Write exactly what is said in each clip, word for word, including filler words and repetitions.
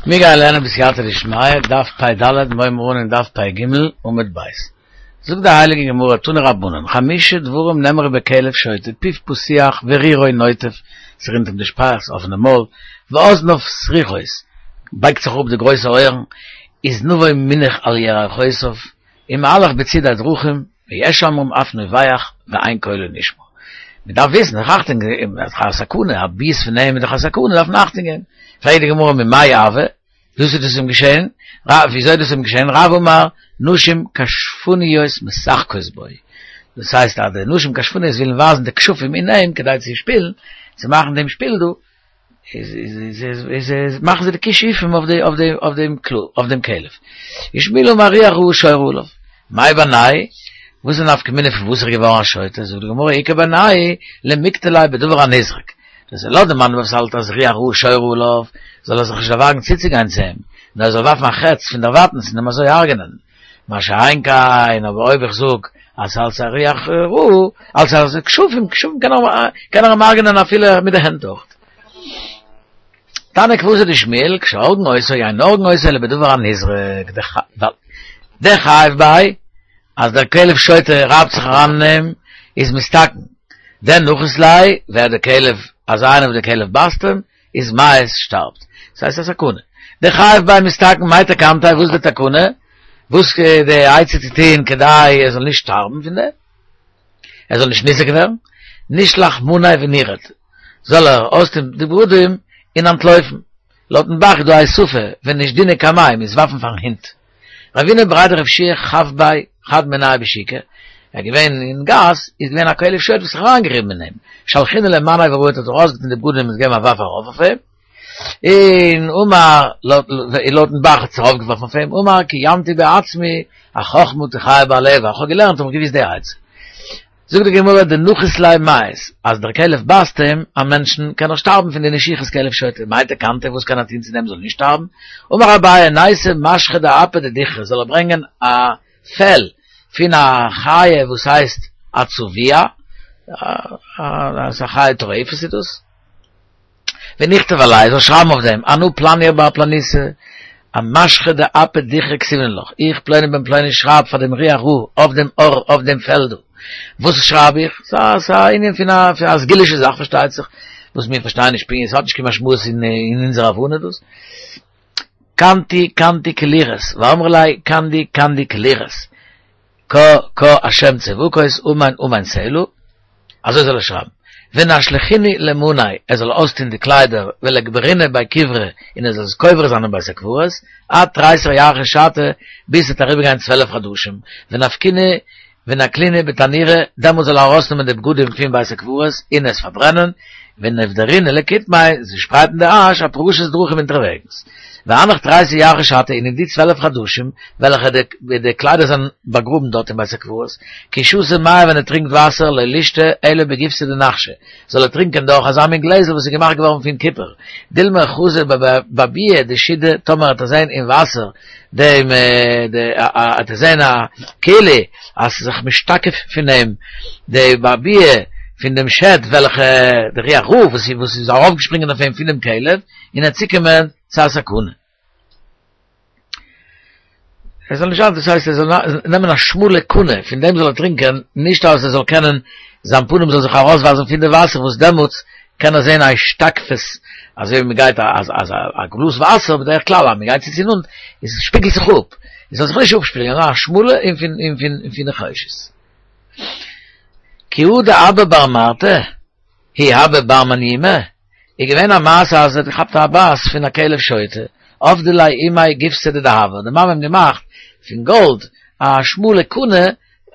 מיר גייען לערנען בסייעתא דשמיא, דף פ"ד, מיר הייבן אן אין דף פ"ג, עמוד ב'. זאגט די הייליגע גמרא, תנו רבנן, חמשה דברים נאמרו בכלב שוטה, פיו פתוח ורירו נוטף, ס'רינט אים די שפייעכץ, אפענע מויל, ואזניו סרוכות, בייגט זיך אראפ די גרויסע אויערן, וזנבו מונח על ירכותיו, ומהלך בצידי דרכים, ויש אומרים אף נובח ואין קולו נשמע. מען דארף וויסן, זיך אכטונג געבן, אז א סכנה, א ביס פון אים איז דאך א סכנה, דארף מען אכטונג געבן. פרעגט די גמרא ממאי הוה, וואס איז דאס אים געשען? וויאזוי איז דאס אים געשען? רב אמר, נשים כשפניות משחקות בו. דאס הייסט אז די נשים כשפניות ווילן ווייזן די כשפים אין אים כדי צו שפילן, צו מאכן דעם שפיל דא, איז איז איז איז מאכן זיי די כישופים אויף די אויף די אויף דעם כלב אויף דעם כלב. ושמואל אמר רוח רעה שורה עליו. מאי בינייהו? וואס איז נפקא מינה פון וואס איז ער געווארן א שוטה? זאגט די גמרא איכא בינייהו למיקטליה בדבר הנזרק. דאס איז לויט די מאן וואס האלט אז רוח רעה שורה עליו, זאל ער זיך נישט דערוואגן צוצוגיין צו אים, נאר ער זאל ווארפן א חץ פון דערווייטנס און אים אזוי הרג'נען. מה שאין כן, אבער אויב איך זאג אז ס'אלץ א רוח רעה, אלץ א כשפים, כשפים קען ער קען ער אים הרג'נען אפילו מיט די הענט אויך. תניא כוותיה דשמואל, כשהורגין אותו, אין הורגין אותו אלא בדבר הנזרק, דחייב ביה, אז דער כלב שוטה רייבט זיך אריין אין אים, איז מתתקן. דנחית ליה, ווער דער כלב, אז איינער וואס דער כלב בייסט אים, איז מיית, שטארבט. ס'הייסט א סכנה. דחייב ביה מתתקן, מאי תקנתיה, וואס איז די תקנה? וואס איז די עצה צו טון כדי ער זאל נישט שטארבן פון דעם? ער זאל נישט ניזוק ווערן? נישלח מניה ונירוד, זאל ער אויסטון די בגדים און אנטלויפן. לויטן ב"ח איז דא א הוספה, ונשדינהו קמיה, מ'מוז ווארפן פארן הונט. רבינא בריה דרב יהושע חף ביה חד מינייהו בשוקא, ער איז געווען אין גאס, איז געווען א כלב שוטה וואס האט זיך אריינגעריבן אין אים, שלחינהו ליה מניה ורהט האט ער אויסגעטון די בגדים און געגעבן א ווארף ארויף אויף אים, און אמר, לויטן ב"ח האט זיך ארויפגעווארפן אויף אים, אמר קיימתי בעצמי, החכמה תחיה בעליה, איך האב געלערנט האב איך געוואוסט די עצה. זאגט די גמרא דנחית ליה מיית, אז דער כלב בייסט אים, א מענטשן, קען ער שטארבן פון די נשיכת כלב שוטה, מאי תקנתיה, וואס קען ער טון צו דעם זאל נישט שטארבן? אמר אביי, ניתי משכא דאפיה דדוכרא, זאל ער ברענגען א פעל פון א חיה וואס הייסט א צבוע, א חיה טורפת איז דאס, ונכתוב עליה, זאל שרייבן אויף דעם, אנא פלניא בר פלניתא, אמשכא דאפי דוכרא כתיבנא לך, איך פלוני בן פלוני שרייב פאר דעם רוח רעה אויף דעם עור אויף דעם פעל דא. וואס שרייב איך? ס'איז א ענין פון א פון א סגולישע זאך פארשטייט זיך, וואס מיר פארשטייען נישט פונקט, ס'האט נישט קיין משמעות אין אונזער הבנה דאס. קנטי קנטי כלוחות, ואמרי לה קנדי קנדי כלוחות, קה קה השם צבקות אמן אמן סלה, אזוי זאל ער שרייבן, ונשלחינהו למניה, ער זאל אויסטון די קליידער, ולקברינהו בי קברי, און ער זאל עס קובר זיין אין בית הקברות, עד תריסר ירחי שתא, ביז ס'וועט אריבערגיין צוועלף חדשים, ונפקינהו ונקלינהו בתנורא, דעמאלט זאל ער ארויסנעמען די בגדים פון בית הקברות און עס פארברענען, ונבדרינהו לקטמיה, צושפרייטן די אש, אפרשת דרכים אונטערוועגנס. והנך תריסר ירחי שתא, און אין די צוועלף חדשים וועלכע די קליידער זענען באגראבן דארט אין בית הקברות, כי שתי מיא ווען ער טרינקט וואסער לא לישתי אלא בגיבסא דנחשא, זאל ער טרינקען דורך אזא מין גלעזל וואס איז געמאכט געווארן פון קופער, דילמא חזי באבועא דשידא, טאמער האט ער זען אין וואסער דעם האט ער זען א כאילו אז ס'איז זיך משתקף פון אים די אבעבועה פון דעם שד וועלכע די רוח רעה וואס איז ארויפגעשפרינגען אויף אים פונעם כלב און ער צוקומען צו א סכנה. ער זאל נישט זיין, דאס הייסט ער זאל נעמען א שמאלע קנה, פון דעם זאל ער טרינקען, נישט אז ער זאל קענען, זיין פנים זאל זיך ארויסווייזן פון די וואסער, וואס דעמאלטס קען ער זען א השתקפות, אזוי ווי מען גייט א גלאז וואסער, בדרך כלל אז מען גייט צו צו נאנט, עס שפיגלט זיך אפ, עס זאל זיך נישט אפשפיגלען, נאר א שמאלע און פון און פון פון נחושת. כי הא דאבא בר מרתא, הוא הוה בר מניומי, איז געווען א מעשה אז ער האט געכאפט א בייס פון א כלב שוטה, עבדה ליה אימיה גיבסא דדהבא, די מאמע האט אים געמאכט פון גאלד א שמאלע קנה,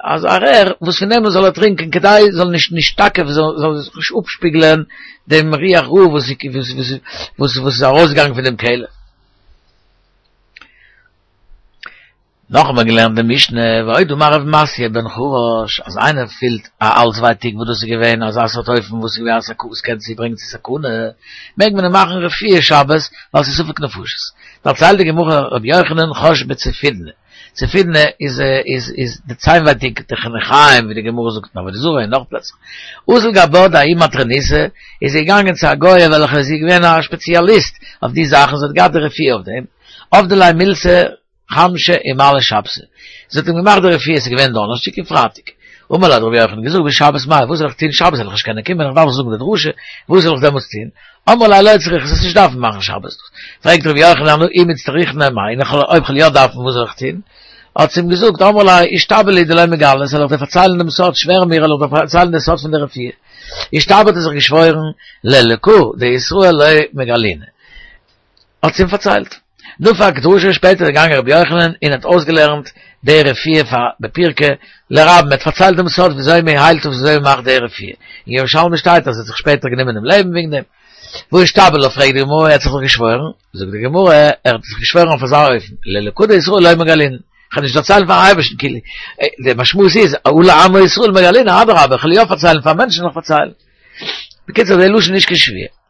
אז א רער וואס פון דעם זאל ער טרינקען כדי זאל נישט נשתקף זאל זיך נישט אפשפיגלען דעם רוח רעה וואס וואס וואס איז ארויסגעגאנגען פון דעם כלב. נאך האט מען געלערנט די משנה, ועוד אמר רב מתיא בן חרש, אז איינער פילט א האלז ווייטאג וואס דאס איז געווען אזא סארט אופן וואס איז געווען א סכנה וואס קען צוברענגען צו סכנה, מעג מען אים מאכן רפואה שבת ווייל ס'איז ספק נפשות. דערציילט די גמרא רבי יוחנן חש בצופידנא, צעפידנע איז איז איז די ציינווייטיק די חניכיים ווי די גמרא זאגט אין עבודה זרה און נאך פלעצער. אזל גבה דההיא מטרוניתא איז זי געגאנגען צו א גויה וועלכע איז געווען א שפעציאליסט אויף די זאכן זי האט געהאט די רפואה אויף דעם עבדה ליה מילתא חמשא ומעלי שבתא זי האט אים געמאכט די רפואה ס'איז געווען דאנערשטאג און פרייטאג אמר ליה האט רבי יוחנן געזאגט בשבת מאי וואס זאל איך טון שבת וועל איך נישט קענען קומען איך דארף זאגן די דרשה וואס זאל איך דעמאלטס טון אמרה ליה לא צריכת זאלסט נישט דארפן מאכן שבת פרעגט רבי יוחנן אנא אי מצטריכנא מאי און אויב כ'וועל יא דארפן וואס זאל איך טון האט זי אים געזאגט אמרה ליה אישתבע לי דלא מגלית זאל איך דיר פארציילן דעם סוד שווער מיר זאל איך דיר פארציילן דעם סוד פון די רפואה אישתבע האט ער זיך געשוואוירן לאלקא דישראל לא מגלינא האט זי אים פארציילט. נפק דרשה שפעטער איז געגאנגען רבי יוחנן און האט אויסגעלערנט די רפואה פאר בפירקא לרבים, ער האט פארציילט דעם סוד וויאזוי מען היילט און וויאזוי מען מאכט די רפואה, אין ירושלמי שטייט אז ער האט זיך שפעטער גענומען דעם לעבן וועגן דעם. והא אישתבע לך פרעגט די גמרא ער האט זיך דאך געשוואוירן, זאגט די גמרא ער האט זיך געשוואוירן אויף אזא אופן לאלקא דישראל לא מגלינא, איך וועל נישט דערציילן פארן אייבערשטן כאילו, די משמעות איז הא לעמו ישראל מגלינא אדרבה איך וועל יא פארציילן פאר מענטשן וועל איך פארציילן. בקיצור די לשון איז נישט קיין שבועה.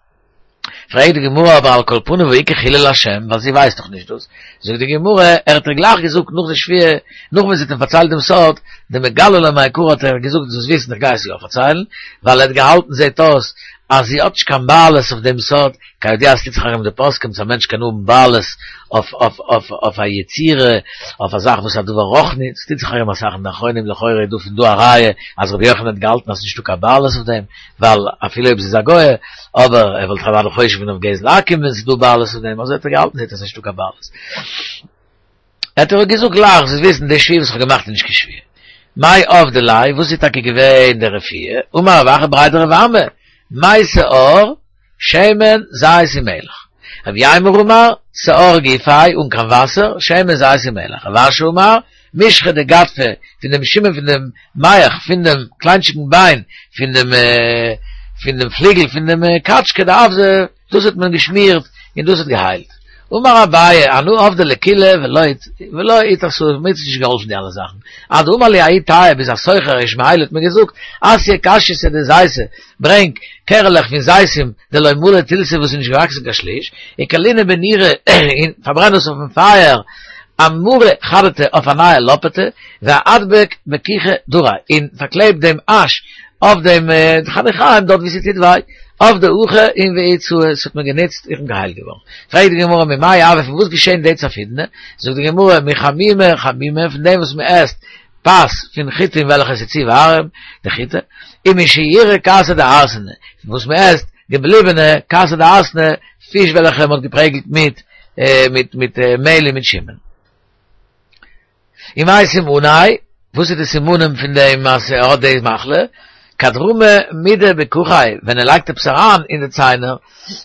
פרעגט די גמרא אבער על כל פנים והא איכא חילול השם ווייל זי ווייסט דאך נישט דאס, זאגט די גמרא ער האט איר גלייך געזאגט נאך די שבועה, נאך ווען זי האט אים פארציילט דעם סוד, דמגליא לה מעיקרא האט ער געזאגט זאלסט וויסן איך גיי עס יא פארציילן, ווייל ער האט געהאלטן זעט אויס אז זי האט נישט קיין בעלות אויף דעם סוד, כידוע עס טוט זיך ארום די פוסקים צו א מענטש קען האבן בעלות אויף אויף אויף אויף א יצירה, אויף א זאך וואס איז א דבר רוחני, עס טוט זיך ארום אסאך אין די אחרונים, לכאורה איז דא פון דא א ראיה אז רבי יוחנן האט געהאלטן אז ס'איז נישטא קיין בעלות אויף דעם, ווייל אפילו אויב זי איז א גויה, אבער ער וואלט אוודאי חושש געווען אויף גזל עכו"ם ווען ס'איז דא בעלות אויף דעם, אזוי האט ער געהאלטן זעט אויס נישטא קיין בעלות. האט ער געזאגט גלייך זאלסט וויסן די שבועה וואס איך האב געמאכט איז נישט קיין שבועה. מאי עבדה ליה, וואס איז טאקע געווען די רפואה? אמר רב אחא בריה דרב אמי, מי שאור, שמן, זית ומלח. רב יימר אמר, שאור גופיה, אן קיין וואסער, שמן זית ומלח. רב אשי אמר, משחא דגדפא, פון דעם שומן פון דעם מח, פון דעם קליינטשיגן ביין, פון דעם פון דעם פליגל פון דעם קאטשקע דאווזא, דאס האט מען געשמירט און דאס האט געהיילט. אמר אביי, אנא עבדי לקולא ולא ולא איתסאי, מיר האט עס נישט געהאלפן די אלע זאכן. עד דאמר לי ההוא טייעא ביז א סוחר ישמעאלי האט מיר געזאגט, אתיא קשייתא דזיתי, ברענג קערעלעך פון זיתים דלא מלו תילתא וואס איז נישט געוואקסן קיין שליש, וקלינהו בנורא און פארברען עס אויפן פייער אמרה חדתא אויף א נייע לאפעטע, ואדביק בכיכא דרעיה און פארקלעב דעם אש אויף דעם חניכיים דארט ווי ס'טוט וויי, עבדי הכי און ואיתסאי, ס'האט מיר גענוצט, איך בין געהיילט געווארן. פרעגט די גמרא ממאי הוי פון וואס געשען די צפידנע? זאגט די גמרא מחמימי חמימי פון דעם וואס מ'עסט פת פון חיטים וועלכע עס איז צו ווארעם, די חיטה, ומשיורי כסא דהרסנא, פון וואס מ'עסט געבליבענע כסא דהרסנא, פיש וועלכע מ'האט געפרעגלט מיט מיט מיט מעהל און מיט שומן. ומאי סימניה, וואס איז די סימנים פון דעם אז ער האט די מחלה? כד רמי מידי בכוכיה, ווען ער לייגט עפעס אריין אין די ציינער,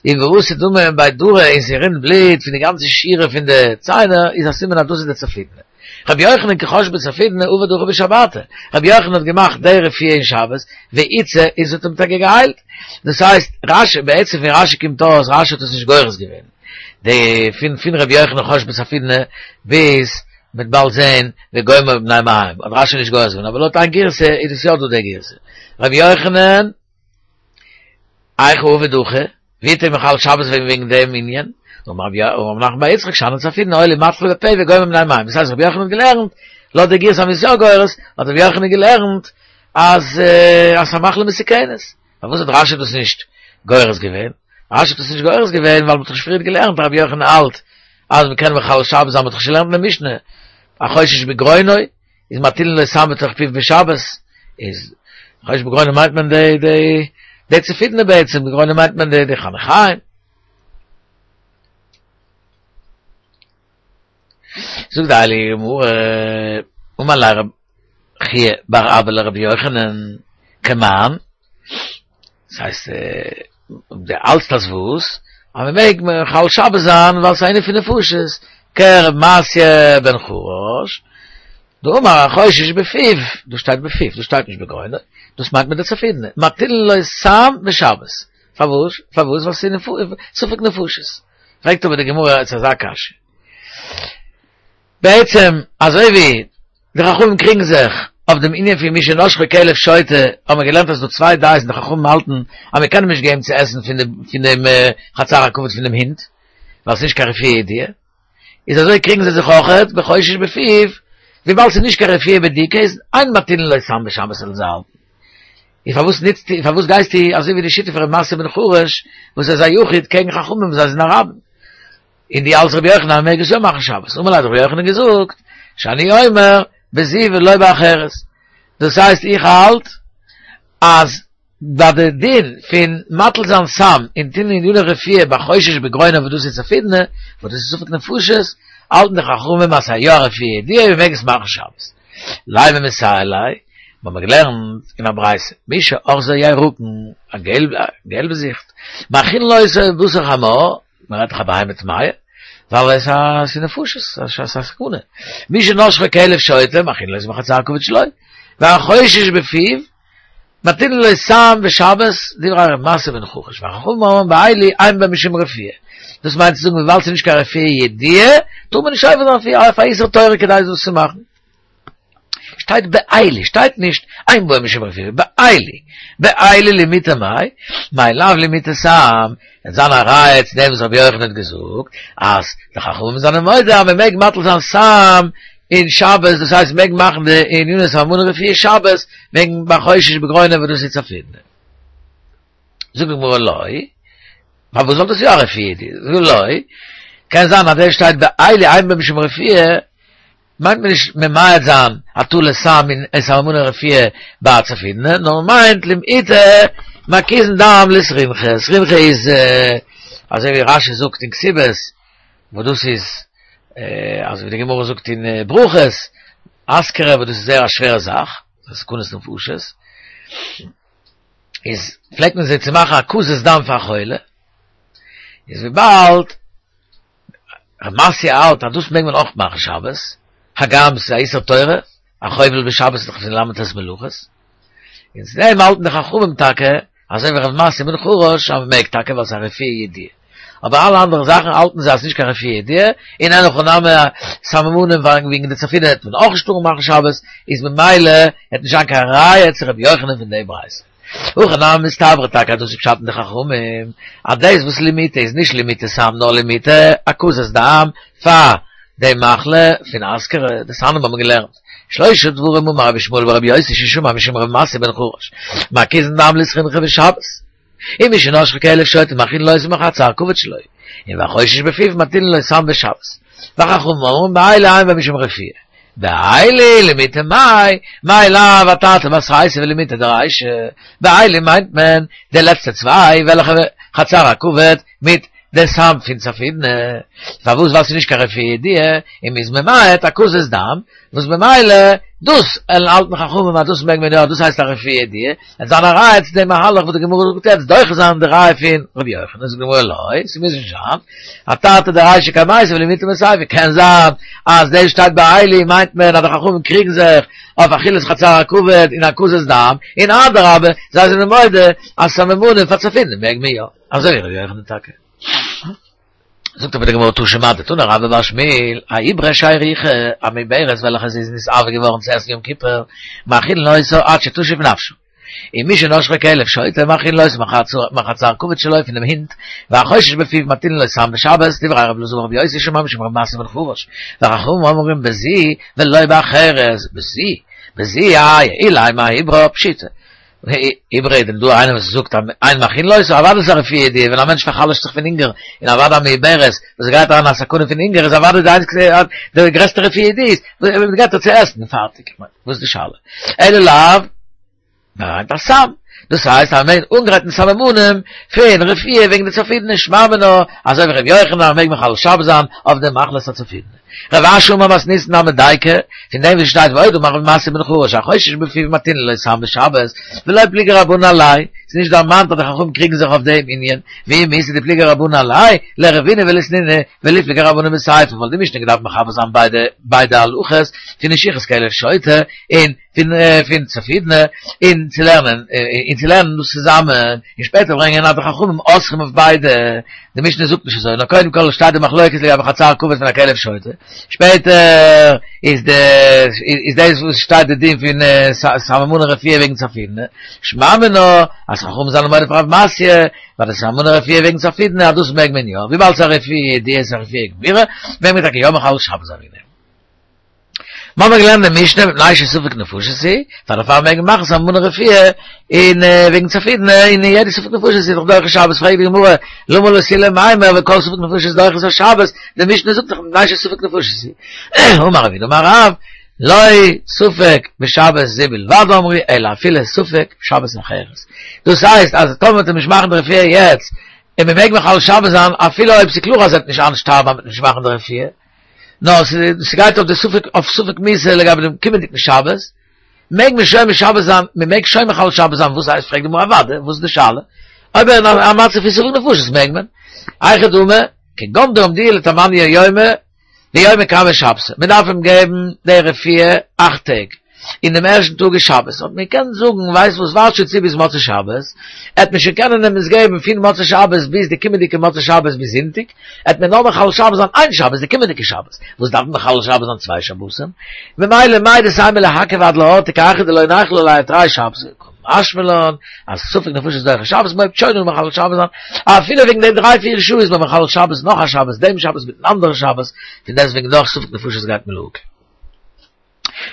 און ואתי דמא בי דרי און ס'רינט בלוט פון די גאנצע שורה פון די ציינער, איז א סימן אז דאס איז די צפידנע. רבי יוחנן כי חש בצפידנא עבד הכי בשבתא, רבי יוחנן האט געמאכט די רפואה אין שבת, ואיתסי און ס'האט אים טאקע געהיילט. דאס הייסט, רשי, בעצם פון רשי קומט אויס, רשי האט עס נישט גורס געווען, די פון פון רבי יוחנן חש בצפידנא ביז מ'וועט באלד זעהן וגומר מבני מעים האט רשי נישט גורס געווען, אבער לויט איין גירסא איז עס יא דא די גירסא. רבי יוחנן, היכי עביד הכי, ווי האט ער מחלל שבת געווען וועגן דעם ענין? אמר רב נחמן בר יצחק שאני צפידנא הואיל ומתחיל בפה וגומר מבני מעים, דאס הייסט רבי יוחנן האט געלערנט, לויט די גירסא אז מ'איז יא גורס, האט רבי יוחנן געלערנט אז אז ס'איז א מחלה מסוכנת. פארוואס האט רשי דאס נישט גורס געווען? רשי האט עס נישט גורס געווען ווייל מ'האט דאך שוין פריער געלערנט רבי יוחנן האלט אז מ'קען מחלל שבת זיין, מ'האט דאך שוין געלערנט אין די משנה, החושש בגרונו איז מטילין לו סם בתוך פיו בשבת, איז חושש בגרונו מיינט מען די די די צפידנע בעצם, בגרונו מיינט מען די די חניכיים. זאגט די הייליגע גמרא, אמר ליה רב חייא בר אבא לרבי יוחנן, כמאן, דאס הייסט דו האלטסט אז וואס? אז מען מעג מחלל שבת זיין ווייל ס'איז א ענין פון נפשות, כרב מתיא בן חרש, דאמר החושש בפיו, דא שטייט בפיו, דא שטייט נישט בגרונו, דאס מיינט מען די צפידנע, מטילין לו סם בשבת, פארוואס? פארוואס? ווייל ס'איז ספק נפשות. פרעגט אבער די גמרא יעצט אזא קשיא. בעצם אזוי ווי די חכמים קריגן זיך אויף דעם ענין פון מי שנשכו כלב שוטה, האבן מיר געלערנט אז ס'דא צוויי דעות און די חכמים האלטן אז מען קען אים נישט געבן צו עסן פון די פון דעם חצר הכבוד פון דעם הונט, ווייל ס'איז נישט קיין רפואה ידועה, איז אזוי קריגן זיי זיך אויכעט בחושש בפיו, וויבאלד ס'איז נישט קיין רפואה בדוקא איז אין מטילין לו סם בשבת וועלן זיי האלטן. און פארוואס ניצטו, פארוואס גייסטו אזוי ווי די שיטה פון ר' מתיא בן חרש וואס איז א יחיד קעגן חכמים וואס זיי זענען א רבים. און דו האלטסט רבי יוחנן אז מ'מעג עס יא מאכן שבת. אמר ליה האט רבי יוחנן געזאגט, שאני אומר בזו ולא באחרת. דאס הייסט איך האלט אז ביי די דין פון מטיל זיין סם און טון עניני רפואה ביי חושש בגרונו וואס דאס איז צפרדע, וואס דאס איז ספק נפשות, האלטן די חכמים אז ס'איז יא א רפואה ידועה און מ'מעג עס מאכן שבת. לימא מסייע ליה, מ'האמיר געלערנט אין א ברייתא, מי שאחזו ירקון, א געלבזיכט, מאכילין אותו בבשר חמור, מ'רעדט דאך א בהמה טמאה, ווייל עס איז נפשות, עס איז א סכנה. מי שנשכו כלב שוטה, מאכילין אותו בחצר הכבוד שלו, והחושש בפיו, מטילין לו סם בשבת, דברי ר' מתיא בן חרש, וחכמים אומרים באלו אין בהם משום רפואה. דאס מיינט צו זאגן וויבאלד ס'איז נישט קיין רפואה ידועה, טאר מען נישט עובר זיין אויף א איסור תורה כדי דאס צו מאכן. שטייט באלו, שטייט נישט אין בהם משום רפואה, באלו, באלו למעוטי מאי, מאי לאו למעוטי סם, וועט זיין א ראיה צו דעם וואס רבי יוחנן האט געזאגט אז די חכמים זענען מודה אז מען מעג מטיל זיין סם אין שבת, דאס הייסט מען מעג מאכן די עניני סממני רפואה שבת, וועגן ביי חושש בגרונו וואס דאס איז צפרדע. זאגט די גמרא לא, פארוואס זאל דאס יא א רפואה ידועה? לא, קען זיין אז דער שטייט באלו אין בהם משום רפואה, מיינט מען נישט ממעט זיין הטלת סם און סממני רפואה ביי צפרדע, נאר מען מיינט למעוטי מקיזין דם לסרינכא, סרינכא איז אזוי ווי רשי זאגט אין כתובות, וואס דאס איז אזוי ווי די גמרא זאגט אין ברכות, אסכרה וואס דאס איז זייער א שווערע זאך, ס'איז סכנת נפשות, איז פלעגט מען זיי צו מאכן הקזת דם פאר א חולה, איז וויבאלד ר' מתיא האלט אז דאס מעג מען אויך מאכן שבת, הגם ס'איז א איסור תורה, א חובל בשבת איז דאך פון ל"ט מלאכות, און צו דעם האלטן די חכמים טאקע, אזוי ווי ר' מתיא בן חרש, אז מ'מעג טאקע ווייל ס'איז א רפואה ידועה. אבער אלע אנדערע זאכן האלטן זיי אז ס'איז נישט קיין רפואה ידועה, און אין הכי נמי סממנים וועגן די צפרדע וועט מען אויך נישט טארן מאכן שבת, איז ממילא וועט נישט זיין קיין ראיה צו ר' יוחנן פון די ברייתא. הכי נמי מסתברא טאקע אז דאס איז פשט אין די חכמים, אז דאס וואס למעוטי איז נישט למעוטי סם נאר למעוטי הקזת דם פאר די מחלה פון אסכרה, דתניא האבן מיר געלערנט שלושה דברים אמר רבי ישמעאל ברבי יוסי ששמע משום רבי מתיא בן חרש מקיזין דם לסרינכא בשבת און מי שנשכו כלב שוטה מאכילין אותו מחצר הכבוד שלו און והחושש בפיו מטילין לו סם בשבת וחכמים אומרים באלו אין בהם משום רפואה באלו למעוטי מאי, מאי לאו אתרתי בתרייתא ולמעוטי דרישא, באלו מיינט מען די לעצטע צוויי וועלכע חצר הכבד מיט די סם פון צפרדע, פארוואס ווייל ס'איז נישט קיין רפואה ידועה און מ'איז ממעט הקזת דם, וואס ממילא דאס וועלן האלטן חכמים אז דאס מעג מען יא דאס הייסט א רפואה ידועה, וועט זיין א ראיה צו דעם מהלך וואס די גמרא זאגט יעצט דוחה זיין די ראיה פון ר' יוחנן, זאגט די גמרא לא, ס'מוז נישט זיין, אתרתי דרישא קמייתא ולמעוטי מסיפא, קען זיין אז דאס שטייט באלו מיינט מען אז די חכמים קריגן זיך אויף אכילת חצר הכבד און הקזת דם, און אדרבה זיי זענען מודה אז סממנים פאר צפרדע מעג מען יא, אזוי ווי ר' יוחנן טאקע. זאגט אבער די גמרא תא שמע דתני רבה בר שמואל, העיבורה שהריחה, א מעוברת וועלכע זי איז נתעבר געווארן צו עסן יום כיפור, מאכילין אותה עד שתשיב נפשה. און מי שנשכו כלב שוטה מאכילין אותו מחצר הכבד שלו פון דעם הינט, והחושש בפיו מטילין לו סם בשבת, דברי רבי אלעזר ברבי יוסי ששמע משום רבי מתיא בן חרש, וחכמים אומרים בזו ולא באחרת, בזו, בזו איי, אילימא אעיברה פשיטא. עיבורה איז דען דא איינער וואס זאגט אז אין מאכילין אותו, אוודאי איז א רפואה ידועה, ווען א מענטש פאר'חלש'ט זיך פון הונגער, און אוודאי א מעוברת וואס גייט אריין אין א סכנה פון הונגער איז אוודאי די איינציגסטע די גרעסטע רפואה ידועה איז מען געבט איר צו עסן און פארטיג, כ'מיין וואס איז די שאלה? אלא לאו מיינט א סם, דאס הייסט אז מען מעג אנגרייטן סממנים פון רפואה וועגן די צפרדע שמע מינה, אזוי ווי ר' יוחנן מעג מחלל שבת זיין אויף די מחלת הצפרדע. רב אשי אמר מתניתין נמי דייקא, פון דעם וואס שטייט ועוד אמר רבי מתיא בן חרש החושש בפיו מטילין לו סם בשבת, ולא פליגי רבנן עליה, ס'איז נישט דערמאנט אז די חכמים קריגן זיך אויף דעם ענין, ואי מיתא דפליגי רבנן עליה, ליערבינהו וליתנינהו, וליפלגו רבנן בסיפא, וואלט די משנה געדארפט מחבר זיין ביידע ביידע הלכות פון נשיכת כלב שוטה און פון פון צפרדע און צו לערנען און צו לערנען דאס צוזאמען און שפעטער ברענגען אז די חכמים אוסרים אויף ביידע, די משנה זאגט נישט אזוי, נאר קודם כל שטייט די מחלוקת לגבי חצר הכבד פון א כלב שוטה, שפעטער איז די איז דאס וואס שטייט די דין פון סממני רפואה וועגן צפרדע, שמע מינה אז חכמים זענען מודה פאר רב מתיא, ווייל די סממני רפואה וועגן צפרדע אז דאס מעג מען יא, וויבאלד ס'איז א רפואה ידועה איז א רפואה גמירה, מעג מען טאקע יא מחלל שבת זיין וועגן דעם. מיר האבן געלערנט אין משנה מפני שספק נפשות היא, פאר דערפאר מעג מען מאכן סממני רפואה אין וועגן צפעידנע אין יעדע ספק נפשות איז דאך דוחה שבת, פרעגט די גמרא למה לא תהיה למימר וכל ספק נפשות דוחה את השבת, די משנה זאגט דאך מפני שספק נפשות היא. אמר רב יהודה אמר רב, לא ספק בשבת זו בלבד אמרו אלא אפילו ספק שבת אחרת. דאס הייסט אז טאמער וועט מען נישט מאכן די רפואה יעצט, און מען מעג מחלל שבת זיין אפילו אויב ס'איז קלאר אז ער וועט נישט איינשטארבן אז מ'וועט נישט מאכן די רפואה, נאר ס'גייט אויף די ספק אויף ספק מיתה לגבי דעם קומענדיגן שבת, מעג מען שוין משבת זיין, מען מעג שוין מחלל שבת זיין, וואס הייסט פרעגט די גמרא אוודאי, וואס איז די שאלה? אויב ער אין א מצב פון ספק נפשות מעג מען, היכי דמי, כגון דאמדוה לתמניא יומי ויומא קמי שבתא, מען דארף אים געבן די רפואה אכט טעג, און דעם ערשטן טאג איז שבת, האט מען געקענט זאגן, ווייסט וואס, ווארט שוין צו ביז מוצאי שבת, עט מען שוין קענען אים עס געבן פון מוצאי שבת ביז די קומענדיגע מוצאי שבת ביז זונטאג, עט מען נאר מחלל שבת זיין איין שבת, די קומענדיגע שבת, וואס דארף מען מחלל שבת זיין צוויי שבתים? ממילא מהו דתימא ליעכב עד להור כי היכי דלא ניחול עליה תרי שבתי, קא משמע לן אז ספק נפשות דוחה שבת, מען הויבט שוין אן מחלל שבת זיין, אפילו וועגן די דריי פיר שעה איז מען מחלל שבת נאך א שבת, דעם שבת מיטן אנדערן שבת, פון דעסטוועגן דאך ספק נפשות גייט מען להקל.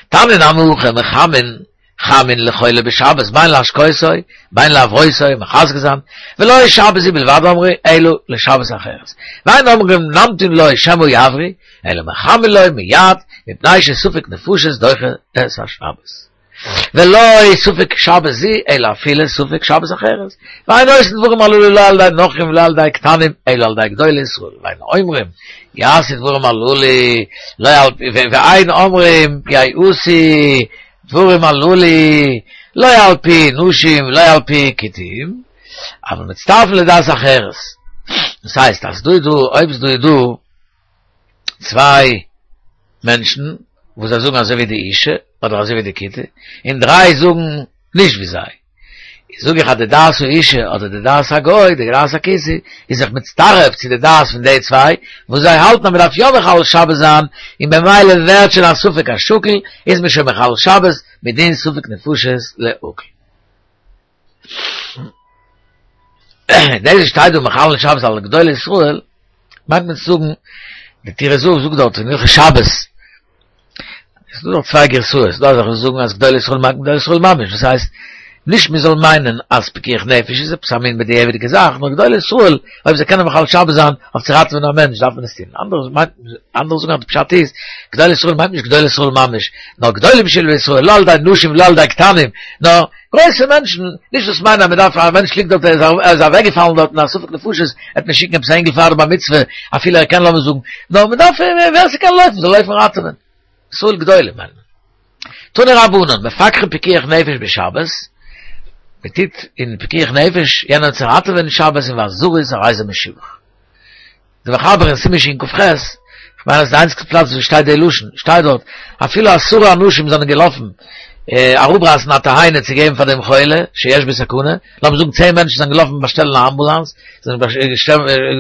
תניא נמי הכי מחמין חמין לחולה בשבת בין להשקותו בין להברותו מחזק זיין ולא שבת זו בלבד אמרו אלא לשבת אחרת ואין אומרים נמתין לו שמא יבריא אלא מחמין לו מיד מפני שספק נפשות דוחה את השבת ולא ספק שבת זו אלא אפילו ספק שבת אחרת ואין עושין דברים הללו לא על ידי נכרים ולא על ידי קטנים אלא על ידי גדולי ישראל ואין אומרים יעשו דברים הללו לא על ואין אומרים יעשו דברים הללו לא על פי נשים ולא על פי כותים אבל מצטרפין לדעת אחרת דאס הייסט אז דא איז דא אויב ס'דא איז דא צוויי מענטשן וואס זיי זאגן אזוי ווי די אישה אדער אזוי ווי די כותי און דריי זאגן נישט ווי זיי זאג איך אז די דעת האישה אדער די דעת הגוי, די דעת הכותי, איז זיך מצטרף צו די דעת פון די צוויי, וואס זיי האלטן אז מען דארף יא מחלל שבת זיין, און במילא ווערט שוין א ספק השקול, איז מען שוין מחלל שבת מדין ספק נפשות להקל. דאס וואס שטייט דא מחללין שבת על גדולי ישראל, מיינט מען צו זאגן, די טורי זהב זאגט דארט אין הלכות שבת, עס איז דא דארט צוויי גרסאות, ס'דא אזעלכע וואס זאגן אז גדולי ישראל מיינט גדולי ישראל ממש, דאס הייסט, נישט מען זאל מיינען אז פיקוח נפש איז עפעס א מין בדיעבד'יגע זאך, נאר גדולי ישראל, אויב זיי קענען מחלל שבת זיין אויף צו ראטעווען א מענטש דארף מען עס טון, אנדערע מיינט, אנדערע זאגן אז די פשט איז, גדולי ישראל מיינט נישט גדולי ישראל ממש, נאר גדולים שבישראל, לא על ידי נשים ולא על ידי קטנים, נאר גרויסע מענטשן, נישט דאס מיינען אז מען דארף, א מענטש ליגט דארט, ער איז אוועקגעפאלן דארט אין א ספק נפשות, וועט מען שיקן עפעס א אינגל פאר די בר מצוה, אפילו ער קען לאמיר זאגן, נאר מען דארף, ווער ס'קען לויפן זאל לויפן ראטעווען. ישראל גדולים מיינט מען. תנו רבנן, מפקחין פיקוח נפש בשבת, מען טוט אין פיקוח נפש יענעם צו ראטעווען שבת און ואזהרות הרי זה משובח. די מחבר אין סימן שכ"ח, כ'מיין אז די איינציגסטע פלאץ וואו שטייט די לשון, שטייט דארט, אפילו עשרה אנשים זענען געלאפן אראפרייסן א תאנה צו געבן פאר דעם חולה שיש בו סכנה, לאמיר זאגן צען מענטשן זענען געלאפן באשטעלן א אמבולאנס, זענען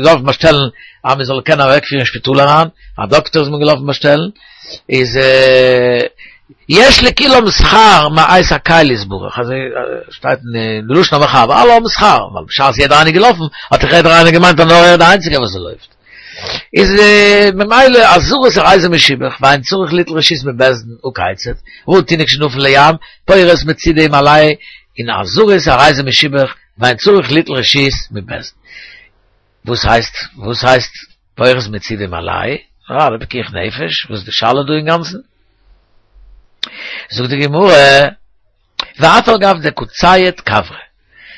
געלאפן באשטעלן אז מען זאל קענען אוועקפירן אין שפיטאל אריין, א דאקטער איז מען געלאפן באשטעלן, איז יש לכולם שכר מאת הקל יתברך, אזוי שטייט אין די לשון המחבר, אלע האבן שכר, ווייל בשעת יעדער איינער איז געלאפן, האט דאך יעדער איינער געמיינט אז נאר ער איז די איינציגער וואס לויפט. איז ממילא אזהרות הרי זה משובח, ואין צריך ליטול רשות מבית דין הא כיצד, ראה תינוק שנפל לים, פורס מצידו ומעלהו, און אזהרות הרי זה משובח, ואין צריך ליטול רשות מבית דין. וואס הייסט וואס הייסט פורס מצידו ומעלהו? אה, די פיקוח נפש, וואס איז די שאלה דא אינגאנצן? זאגט די גמרא, ואף על גב דקא צייד כוורא,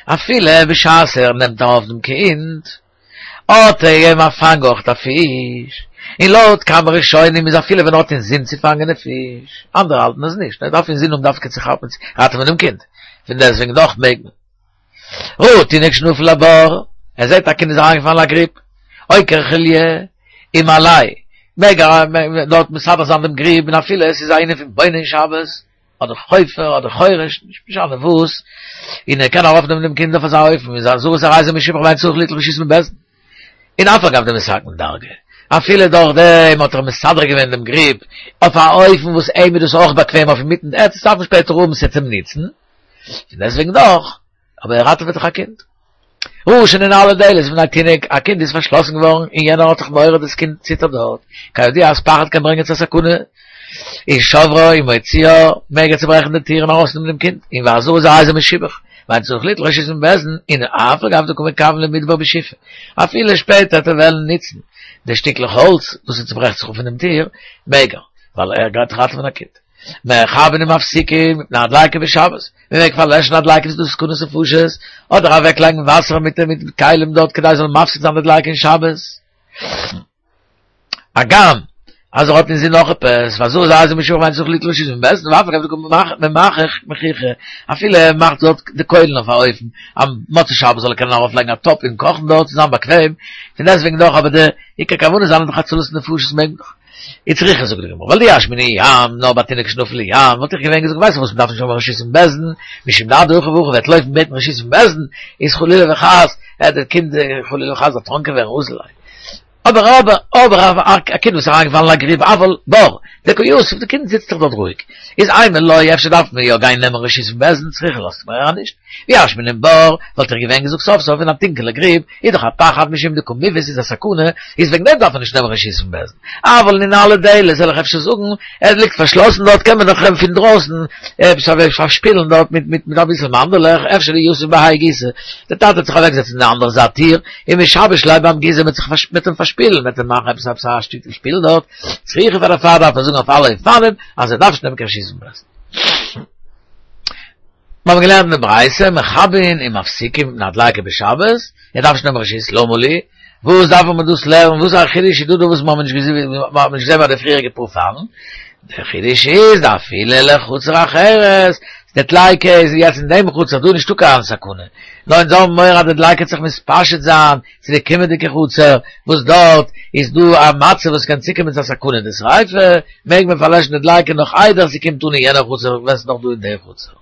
אפילו בשעת ער נעמט ארויף דעם קינד, האט ער געגעבן א פאנג אויך א פיש, און לויט כמה ראשונים איז אפילו ווען ער האט אינזין צו פאנגען די פיש, אנדערע האלטן אז נישט, ער דארף אינזין האבן דווקא צו כאפן צו ראטעווען דעם קינד, פון דעסטוועגן דאך מעג מען. ראה תינוק שנפל לבור, ער זעט א קינד איז אריינגעפאלן אין א גריב, עוקר חוליא ומעלהו, מעג ער דארט מסדר זיין דעם גריב, און אפילו עס איז א ענין פון בונה אין שבת, אדער חופר אדער חורש, נישט משנה וואס, און ער קען ארויפנעמען דעם קינד אויף אזא אופן, איז אזהרות הרי זה משובח ואין צריך ליטול רשות מבית דין. און אף על גב דמתקן דרגא, אפילו דורך דעם האט ער מסדר געווען דעם גריב אויף א אופן וואס אים איז דאס אויך באקוועם אויף אינמיטן, ער וועט עס דארפן שפעטער האבן ס'צום נוצן, פון דעסטוועגן דאך, אבער ער ראטעוועט דאך א קינד. ראה שננעלה דלת בפני תינוק, א קינד איז פארשלאסן געווארן און יענער האט זיך מורא דאס קינד ציטערט דארט, כידוע אז פחד קען ברענגען צו א סכנה, איז שוברה ומוציאה, מעג ער צוברעכן די טיר און ארויסנעמען דעם קינד, און והזרז הרי זה משובח, ואין צריך ליטול רשות מבית דין, און אף על גב דקא מכוון למדבר בשיפה, אפילו שפעטער וועט ער וועלן נוצן די שטיקלעך האלץ וואס עס צוברעכט זיך אויף פון דעם טיר, מעג ער, ווייל ער גייט ראטעווען א קינד. מכבין ומפסיקין מפני הדליקה בשבת, מען מעג פארלעשן א דליקה וואס איז דא סכנת נפשות, אדער אוועקלייגן וואסער מיט מיט כלים דארט כדי זאל מפסיק זיין די דליקה אין שבת. הגם אז ער האט אין זין נאך עפעס, והזרז הרי זה משובח ואין צריך ליטול רשות מבית דין, ואף על גב דקא מחכך מחיכא, אפילו ער מאכט דארט די קוילן אויף א אופן אז מוצאי שבת זאל ער קענען ארויף לייגן א טאפ און קאכן דארט צו זיין באקוועם, פון דעסטוועגן דאך אבער די עיקר כוונה זיינע דאך הצלת נפשות מעג מען דאך. וצריכא זאגט די גמרא, ווייל דאי אשמעינן ים, נאר ביי תינוק שנפל לים, וואלט איך געווען געזאגט ווייסט וואס מ'דארף נישט האבן רשות פון בית דין, משום דאדהכי והכי וועט לויפן בעטן רשות פון בית דין, איז חלילה וחס, וועט די קינד חלילה וחס דערטראנקען ווערן אזל ליה. אבער אבער אבער א קינד וואס איז אריינגעפאלן אין א גריב אבל בור דקא יתיב די קינד זיצט דאך דארט רואיג איז אימא לא אפשר דארף מען יא גיין נעמען רשות פון בית דין צריכא לאזט מיר אריין נישט ואי אשמעינן בור וואלט איך געווען געזאגט סוף סוף אין א טונקעלע גריב איז דאך א פחד משום דקא מיבעית איז א סכנה איז וועגן דעם דארף מען נישט נעמען רשות פון בית דין אבל ננעלה דלת זאל איך אפשר זאגן ער ליגט פארשלאסן דארט קען מען דאך אים פון דרויסן עפעס פארשפילן דארט מיט מיט מיט אביסל מאנדעלעך אפשר דיתיב בהאי גיסא דער טאטע וועט זיך אוועקזעצן אין די אנדערע זייט טיר און משבש ליה ביים גיסא מ'וועט זיך מיט אים פארשפילן מ'וועט אים מאכן עפעס עפעס א שטיקל שפיל דארט צריכא פאר דערפאר דארף מען זאגן אויף אלע אופנים אז ער דארף נישט נעמען קיין רשות פון בית דין. מיר האבן געלערנט אין די ברייתא מכבין ומפסיקין מפני הדליקה בשבת, ער דארף נישט נעמען רשות, למה לי? וואס דארף מען דאס לערנען, וואס א חידוש איז דא דא וואס מיר האבן נישט געזען מיר האבן נישט געזען ביי די פריעריגע פאר פאלן? דער חידוש איז דאפילו לחצר אחרת, די דליקה איז יעצט אין דעם חצר, דא איז נישטא קיין סכנה, נאר אונז האבן מורא אז די דליקה וועט זיך מתפשט זיין צו די קומענדיגע חצר, וואס דארט איז דא א מצב וואס קען צוקומען צו א סכנה דשריפה, מעג מען פארלעשן די דליקה נאך איידער ס'קומט אן אין יענער חצר ווען ס'איז נאך דא אין דער חצר.